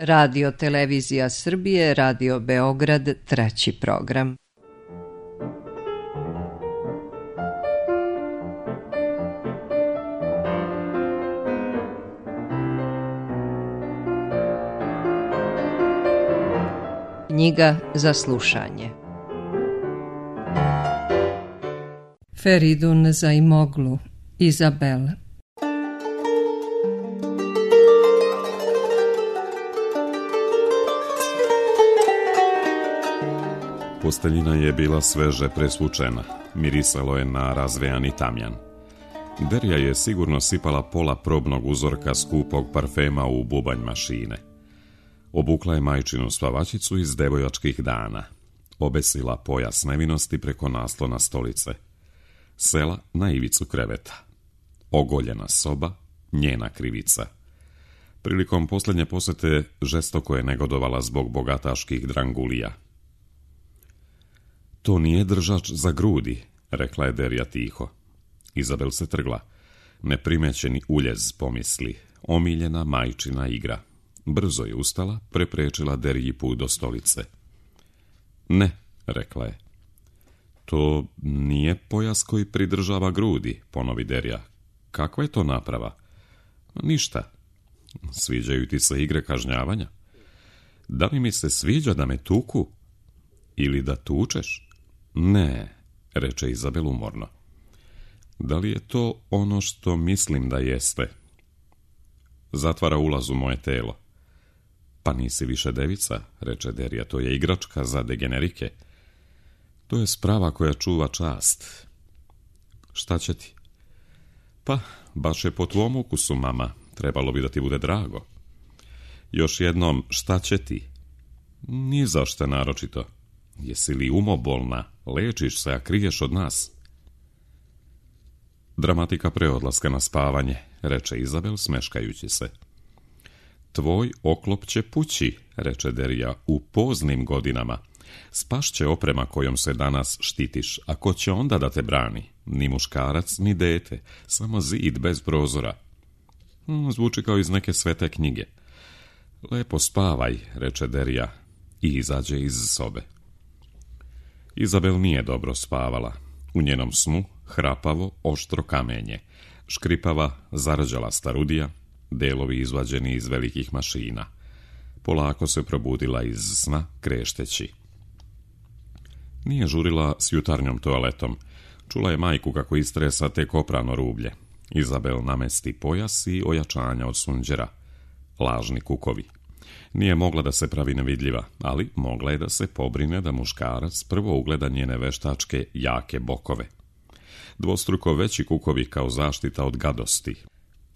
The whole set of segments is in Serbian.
Radio Televizija Srbije, Radio Beograd, 3. program. Knjiga za slušanje. Feridun Zaimoglu, Izabel. Posteljina je bila sveže presvučena, mirisalo je na razvejani tamjan. Derija je sigurno sipala pola probnog uzorka skupog parfema u bubanj mašine. Obukla je majčinu spavačicu iz devojačkih dana. Obesila pojas nevinosti preko naslona stolice. Sela na ivicu kreveta. Ogoljena soba, njena krivica. Prilikom posljednje posete žestoko je negodovala zbog bogataških drangulija. To nije držač za grudi, rekla je Derija tiho. Izabel se trgla. Neprimećeni uljez pomisli. Omiljena majčina igra. Brzo je ustala, preprečila Deriji put do stolice. Ne, rekla je. To nije pojas koji pridržava grudi, ponovi Derija. Kakva je to naprava? Ništa. Sviđaju ti se igre kažnjavanja? Da li mi se sviđa da me tuku? Ili da tučeš? Ne, reče Izabel umorno. Da li je to ono što mislim da jeste? Zatvara ulaz u moje telo. Pa nisi više devica, reče Derija, to je igračka za degenerike. To je sprava koja čuva čast. Šta će ti? Pa, baš je po tvom ukusu, mama, trebalo bi da ti bude drago. Još jednom, šta će ti? Ni zašto naročito. Jesi li umobolna, lečiš se, a kriješ od nas? Dramatika preodlaska na spavanje, reče Izabel smeškajući se. Tvoj oklop će pući, reče Derija, u poznim godinama. Spašće oprema kojom se danas štitiš, a ko će onda da te brani? Ni muškarac, ni dete, samo zid bez prozora. Zvuči kao iz neke svete knjige. Lepo spavaj, reče Derija i izađe iz sobe. Izabel nije dobro spavala. U njenom snu hrapavo, oštro kamenje, škripava, zarđala starudija, delovi izvađeni iz velikih mašina. Polako se probudila iz sna, krešteći. Nije žurila s jutarnjom toaletom. Čula je majku kako istresa tek oprano rublje. Izabel namesti pojas i ojačanja od sunđera. Lažni kukovi. Nije mogla da se pravi nevidljiva, ali mogla je da se pobrine da muškarac prvo ugleda njene veštačke jake bokove. Dvostruko veći kukovi kao zaštita od gadosti.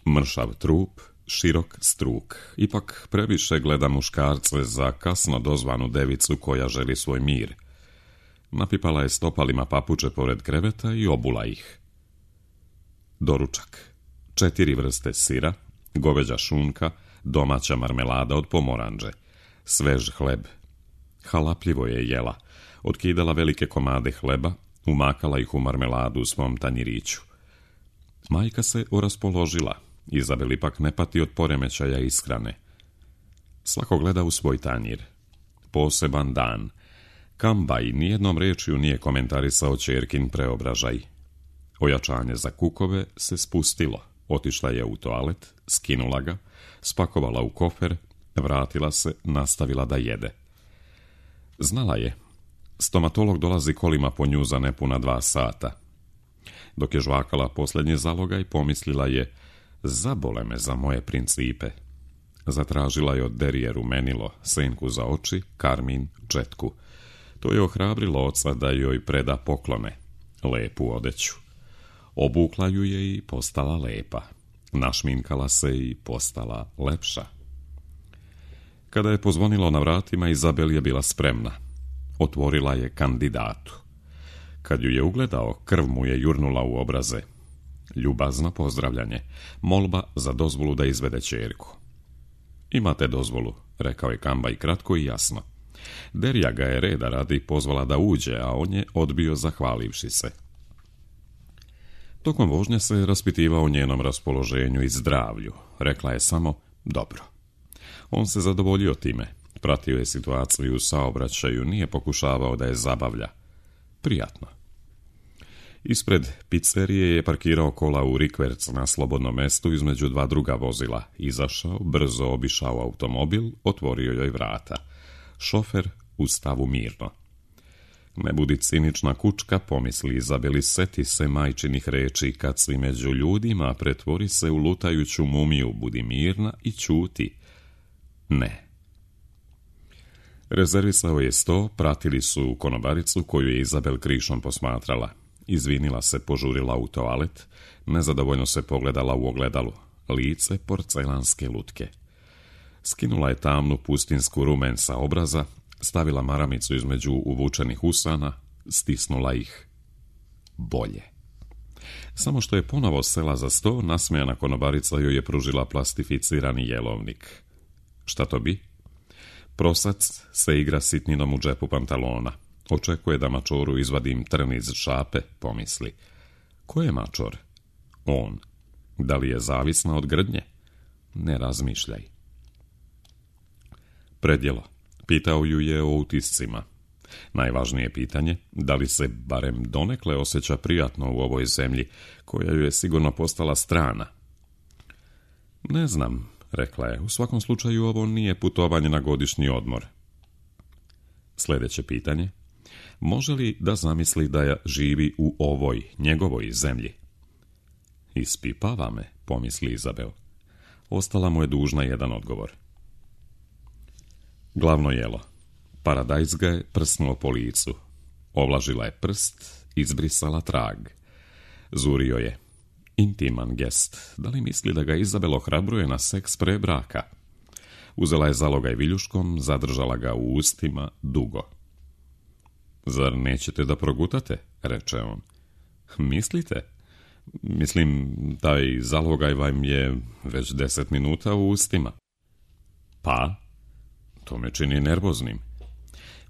Mršav trup, širok struk. Ipak previše gleda muškarce za kasno dozvanu devicu koja želi svoj mir. Napipala je stopalima papuče pored kreveta i obula ih. Doručak. 4 vrste sira, goveđa šunka, domaća marmelada od pomoranđe, svež hleb. Halapljivo je jela. Otkidala velike komade hleba, umakala ih u marmeladu u svom tanjiriću. Majka se oraspoložila. Izabel ipak ne pati od poremećaja ishrane. Svako gleda u svoj tanjir. Poseban dan. Kambaj nijednom rečju nije komentarisao ćerkin preobražaj. Ojačanje za kukove se spustilo. Otišla je u toalet, skinula ga, spakovala u kofer, vratila se, nastavila da jede. Znala je. Stomatolog dolazi kolima po nju za nepuna 2 sata. Dok je žvakala posljednji zalogaj, pomislila je, zabole me za moje principe. Zatražila je od Derije rumenilo, senku za oči, karmin, četku. To je ohrabrilo oca da joj preda poklone, lepu odeću. Obukla ju je i postala lepa. Našminkala se i postala lepša. Kada je pozvonilo na vratima, Izabel je bila spremna. Otvorila je kandidatu. Kad ju je ugledao, krv mu je jurnula u obraze. Ljubazno pozdravljanje, molba za dozvolu da izvede ćerku. Imate dozvolu, rekao je Kambaj kratko i jasno. Derija ga je reda radi pozvala da uđe, a on je odbio zahvalivši se. Tokom vožnje se raspitivao o njenom raspoloženju i zdravlju. Rekla je samo dobro. On se zadovoljio time, pratio je situaciju u saobraćaju, nije pokušavao da je zabavlja. Prijatno. Ispred pizzerije je parkirao kola u rikverc na slobodnom mestu između dva druga vozila. Izašao, brzo obišao automobil, otvorio joj vrata. Šofer u stavu mirno. Ne budi cinična kučka, pomisli Izabeli, seti se majčinih reči, kad si među ljudima, pretvori se u lutajuću mumiju, budi mirna i ćuti. Ne. Rezervisao je sto, pratili su konobaricu koju je Izabel krišom posmatrala. Izvinila se, požurila u toalet, nezadovoljno se pogledala u ogledalu. Lice porcelanske lutke. Skinula je tamnu pustinsku rumen sa obraza, stavila maramicu između uvučenih usana, stisnula ih. Bolje. Samo što je ponovo sela za sto, nasmejana konobarica joj je pružila plastificirani jelovnik. Šta to bi? Prosac se igra sitninom u džepu pantalona. Očekuje da mačoru izvadim trn iz šape, pomisli. Ko je mačor? On. Da li je zavisna od grdnje? Ne razmišljaj. Predjelo. Pitao ju je o utiscima. Najvažnije pitanje, da li se barem donekle osjeća prijatno u ovoj zemlji, koja ju je sigurno postala strana. Ne znam, rekla je, u svakom slučaju ovo nije putovanje na godišnji odmor. Sljedeće pitanje, može li da zamisli da živi u ovoj, njegovoj zemlji? Ispipava me, pomisli Izabel. Ostala mu je dužna jedan odgovor. Glavno jelo. Paradajz ga je prsnuo po licu. Ovlažila je prst, izbrisala trag. Zurio je. Intiman gest. Da li misli da ga Izabel ohrabruje na seks pre braka? Uzela je zalogaj viljuškom, zadržala ga u ustima dugo. Zar nećete da progutate? Reče on. Mislite? Mislim, taj zalogaj vam je već 10 minuta u ustima. Pa? To me čini nervoznim.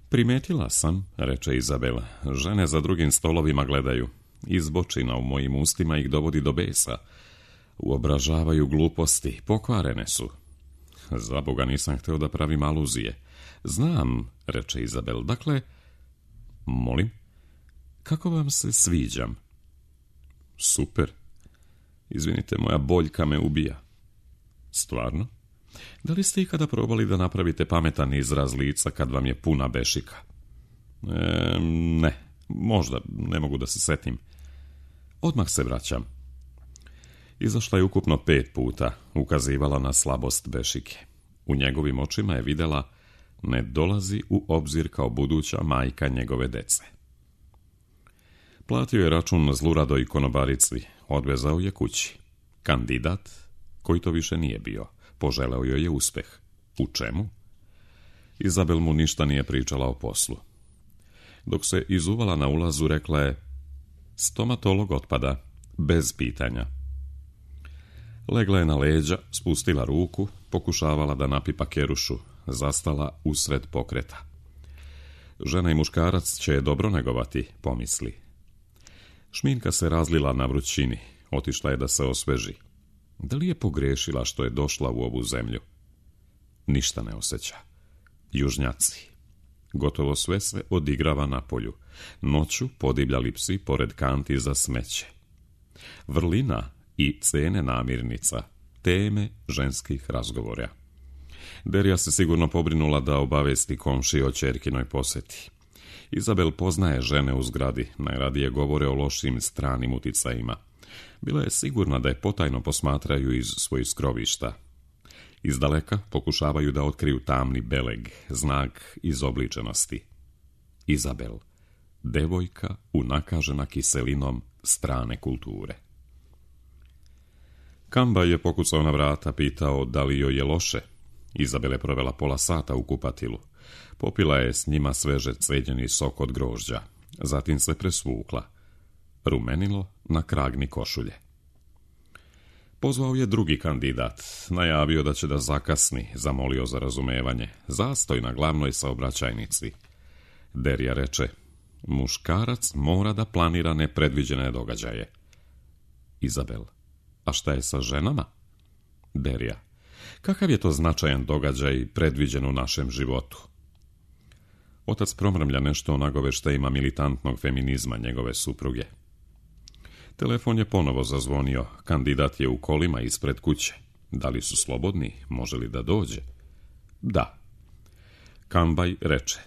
Primetila sam, reče Izabela, žene za drugim stolovima gledaju. Izbočina u mojim ustima ih dovodi do besa. Uobražavaju gluposti, pokvarene su. Za Boga nisam hteo da pravim aluzije. Znam, reče Izabel, dakle... Molim? Kako vam se sviđam? Super. Izvinite, moja boljka me ubija. Stvarno? Da li ste ikada probali da napravite pametan izraz lica kad vam je puna bešika? Ne, možda, ne mogu da se setim. Odmah se vraćam. Izašla je ukupno 5 puta, ukazivala na slabost bešike. U njegovim očima je videla, ne dolazi u obzir kao buduća majka njegove dece. Platio je račun zluradoj konobarici, odvezao je kući. Kandidat, koji to više nije bio, poželeo joj je uspeh. U čemu? Izabel mu ništa nije pričala o poslu. Dok se izuvala na ulazu, rekla je, stomatolog otpada, bez pitanja. Legla je na leđa, spustila ruku, pokušavala da napipa kerušu, zastala usred pokreta. Žena i muškarac će je dobro negovati, pomisli. Šminka se razlila na vrućini, otišla je da se osveži. Da li je pogrešila što je došla u ovu zemlju? Ništa ne osjeća. Južnjaci. Gotovo sve se odigrava na polju. Noću podivljali psi pored kanti za smeće. Vrlina i cene namirnica, teme ženskih razgovora. Derija se sigurno pobrinula da obavesti komšije o ćerkinoj poseti. Izabel poznaje žene u zgradi, najradije govore o lošim stranim uticajima. Bila je sigurna da je potajno posmatraju iz svojih skrovišta. Izdaleka pokušavaju da otkriju tamni beleg, znak izobličenosti. Izabel, devojka unakažena kiselinom strane kulture. Kamba je pokucao na vrata, pitao da li joj je loše. Izabel je provela pola sata u kupatilu. Popila je s njima sveže cveđeni sok od grožđa. Zatim se presvukla. Rumenilo na kragni košulje. Pozvao je drugi kandidat. Najavio da će da zakasni, zamolio za razumevanje. Zastoj na glavnoj saobraćajnici. Derija reče, muškarac mora da planira nepredviđene događaje. Izabel, a šta je sa ženama? Derija, Kakav je to značajan događaj predviđen u našem životu? Otac promrmlja nešto o nagoveštajima militantnog feminizma njegove supruge. Telefon je ponovo zazvonio. Kandidat je u kolima ispred kuće. Da li su slobodni? Može li da dođe? Da. Kambaj reče: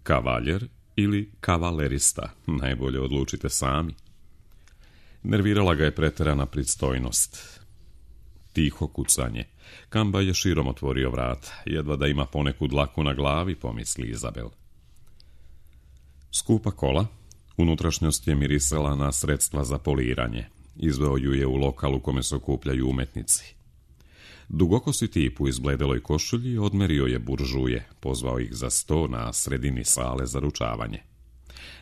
kavaljer ili kavalerista, najbolje odlučite sami. Nervirala ga je preterana pristojnost. Tiho kucanje. Kambaj je širom otvorio vrata. Jedva da ima poneku dlaku na glavi, pomisli Izabel. Skupa kola. Unutrašnjost je mirisala na sredstva za poliranje. Izveo ju je u lokal u kome se okupljaju umetnici. Dugokosi tip u izbledeloj košulji odmerio je buržuje, pozvao ih za sto na sredini sale za ručavanje.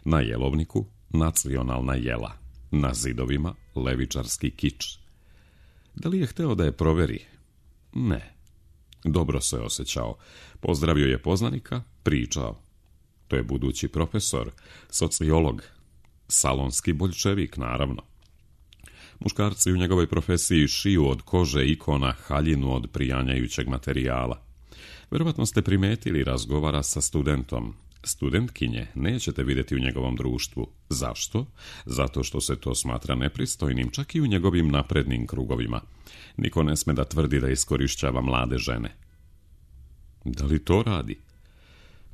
Na jelovniku nacionalna jela, na zidovima levičarski kič. Da li je hteo da je proveri? Ne. Dobro se osjećao. Pozdravio je poznanika, pričao. To je budući profesor, sociolog, salonski boljševik, naravno. Muškarci u njegovoj profesiji šiju od kože ikona haljinu od prijanjajućeg materijala. Vjerovatno ste primetili, razgovara sa studentom. Studentkinje nećete vidjeti u njegovom društvu. Zašto? Zato što se to smatra nepristojnim, čak i u njegovim naprednim krugovima. Niko ne sme da tvrdi da iskorišćava mlade žene. Da li to radi?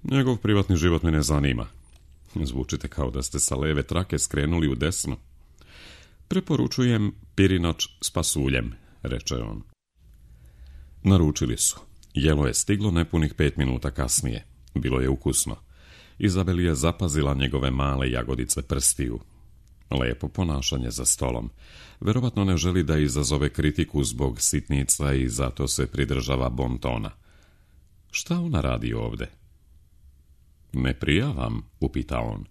Njegov privatni život me ne zanima. Zvučite kao da ste sa leve trake skrenuli u desno. Preporučujem pirinač s pasuljem, reče on. Naručili su. Jelo je stiglo nepunih 5 minuta kasnije. Bilo je ukusno. Izabel je zapazila njegove male jagodice prstiju. Lepo ponašanje za stolom. Verovatno ne želi da izazove kritiku zbog sitnica i zato se pridržava bontona. Šta ona radi ovde? Ne prijavam, upita on.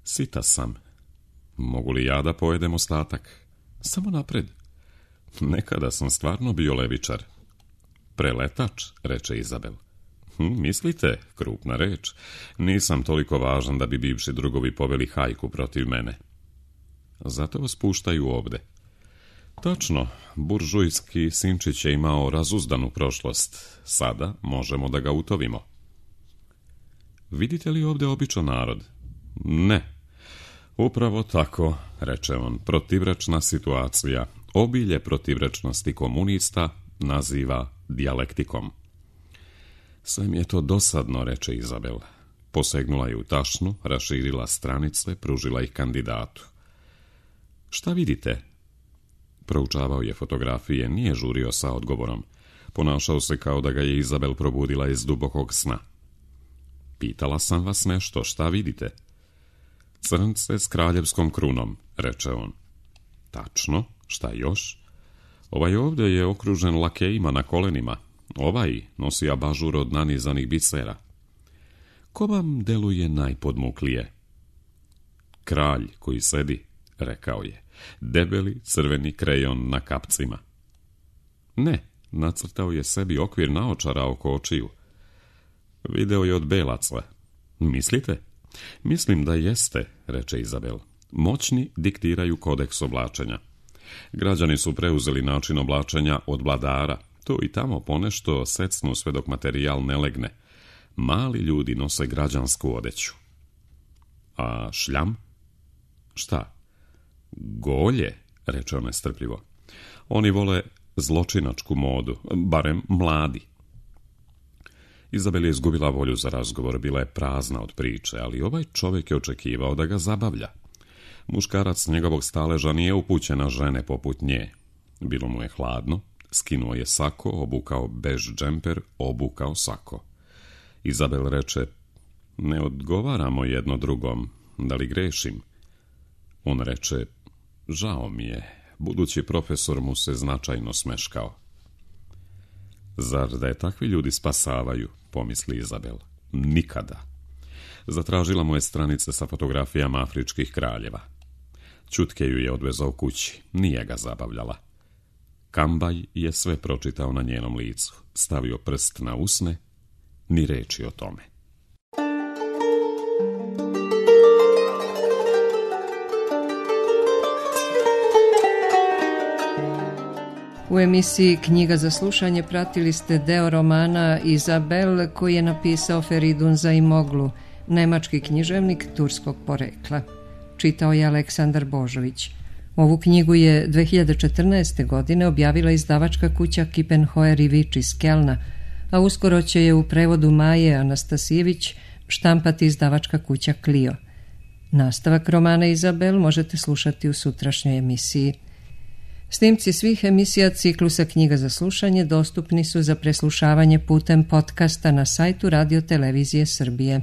Sita sam. Mogu li ja da pojedem ostatak? Samo napred. Nekada sam stvarno bio levičar. Preletač, reče Izabel. Mislite, krupna reč. Nisam toliko važan da bi bivši drugovi poveli hajku protiv mene. Zato vas puštaju ovde. Tačno, buržujski sinčić je imao razuzdanu prošlost. Sada možemo da ga utovimo. Vidite li ovde običan narod? Ne. Upravo tako, reče on, protivrečna situacija. Obilje protivrečnosti komunista naziva dijalektikom. Sve mi je to dosadno, reče Izabel. Posegnula je u tašnu, raširila stranice, pružila ih kandidatu. Šta vidite? Proučavao je fotografije, nije žurio sa odgovorom. Ponašao se kao da ga je Izabel probudila iz dubokog sna. Pitala sam vas nešto, šta vidite? Crnce s kraljevskom krunom, reče on. Tačno, šta još? Ovaj ovdje je okružen lakejima na kolenima. Ovaj nosi abažur od nanizanih bicera. Ko vam deluje najpodmuklije? Kralj koji sedi, rekao je. Debeli crveni krejon na kapcima. Ne, nacrtao je sebi okvir naočara oko očiju. Video je od belaca. Mislite? Mislim da jeste, reče Izabel. Moćni diktiraju kodeks oblačenja. Građani su preuzeli način oblačenja od vladara. Tu i tamo ponešto secnu sve dok materijal ne legne. Mali ljudi nose građansku odeću. A šljam? Šta? Golje, reče on nestrpljivo. Oni vole zločinačku modu, barem mladi. Izabel je izgubila volju za razgovor, bila je prazna od priče, ali ovaj čovjek je očekivao da ga zabavlja. Muškarac njegovog staleža nije upućen na žene poput nje. Bilo mu je hladno, skinuo je sako, obukao bež džemper, obukao sako. Izabel reče, ne odgovaramo jedno drugom, da li grešim? On reče, žao mi je, budući profesor mu se značajno smeškao. Zar da je takvi ljudi spasavaju, pomisli Izabel. Nikada. Zatražila mu je stranice sa fotografijama afričkih kraljeva. Ćutke ju je odvezao kući, nije ga zabavljala. Kambaj je sve pročitao na njenom licu, stavio prst na usne, ni reči o tome. U emisiji Knjiga za slušanje pratili ste deo romana Izabel koji je napisao Feridun Zaimoglu, nemački književnik turskog porekla. Čitao je Aleksandar Božović. Ovu knjigu je 2014. godine objavila izdavačka kuća Kippenheuer i Vič iz Kelna, a uskoro će je u prevodu Maje Anastasijević štampati izdavačka kuća Clio. Nastavak romana Izabel možete slušati u sutrašnjoj emisiji. Snimci svih emisija ciklusa Knjiga za slušanje dostupni su za preslušavanje putem podcasta na sajtu Radio Televizije Srbije.